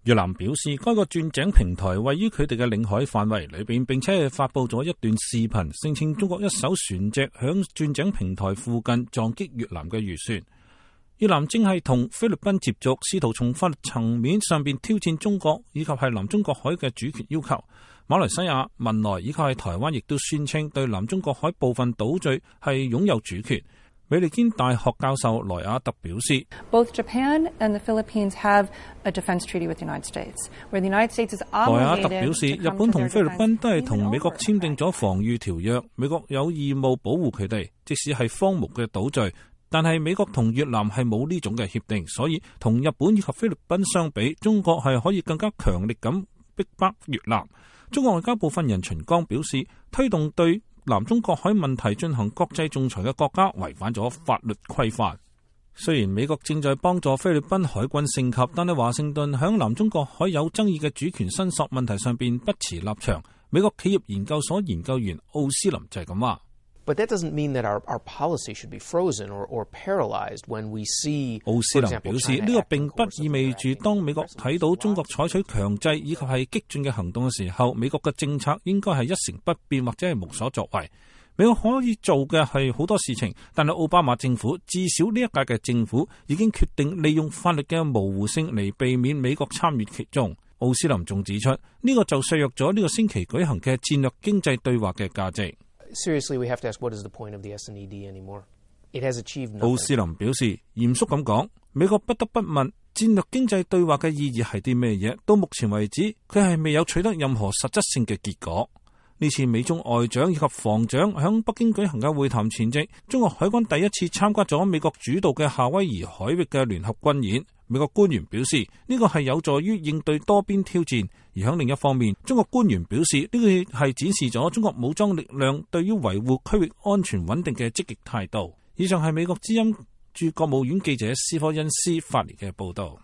越南表示，該個鑽井平台位於佢哋嘅領海範圍裏邊，並且發佈咗一段視頻，聲稱中國一艘船隻響鑽井平台附近撞擊越南嘅漁船。越南正係同菲律賓接觸，試圖從法律層面上邊挑戰中國以及係南中國海嘅主權要求。馬來西亞、文萊以及係台灣亦都宣稱對南中國海部分島嶼係擁有主權。美利堅大學教授萊亞特表示 Both Japan and the Philippines have a defense treaty with the United States, where the United States is obligated. 萊亞特表示，日本同菲律賓都係同美國簽訂咗防禦條約，美國有義務保護佢哋，即使係荒蕪嘅島嶼。但係美國同越南係冇呢種嘅協定，所以同日本以及菲律賓相比，中國係可以更加強力咁逼迫越南。中國外交部發言人秦剛表示，推動對南中國海問題進行國際仲裁嘅國家違反咗法律規範。雖然美國正在幫助菲律賓海軍升級，但係華盛頓響南中國海有爭議嘅主權申索問題上邊不持立場。美國企業研究所研究員奧斯林就係咁話。But that doesn't mean that our policy should be frozen or paralyzed when we see. 奧斯林表示，呢個並不意味住當美國睇到中國採取強制以及係激進嘅行動嘅時候，美國嘅政策應該係一成不變或者係無所作為。美國可以做嘅係好多事情，但係奧巴馬政府至少呢一屆嘅政府已經決定利用法律嘅模糊性嚟避免美國參與其中。奧斯林仲指出，呢個就削弱咗呢個星期舉行嘅戰略經濟對話嘅價值。Seriously, we have to ask what is the point of the S&ED anymore? It has achieved nothing. 奧斯林表示，嚴肅咁講，美國不得不問戰略經濟對話嘅意義係啲咩嘢？到目前為止，佢係未有取得任何實質性嘅結果。呢次美中外長以及防長響北京舉行嘅會談前夕，中國海軍第一次參加咗美國主導嘅夏威夷海域嘅聯合軍演。美國官員表示，呢個係有助於應對多邊挑戰。而喺另一方面，中國官員表示，呢個係展示咗中國武裝力量對於維護區域安全穩定嘅積極態度。以上係美國之音駐國務院記者斯科恩斯發嚟嘅報道。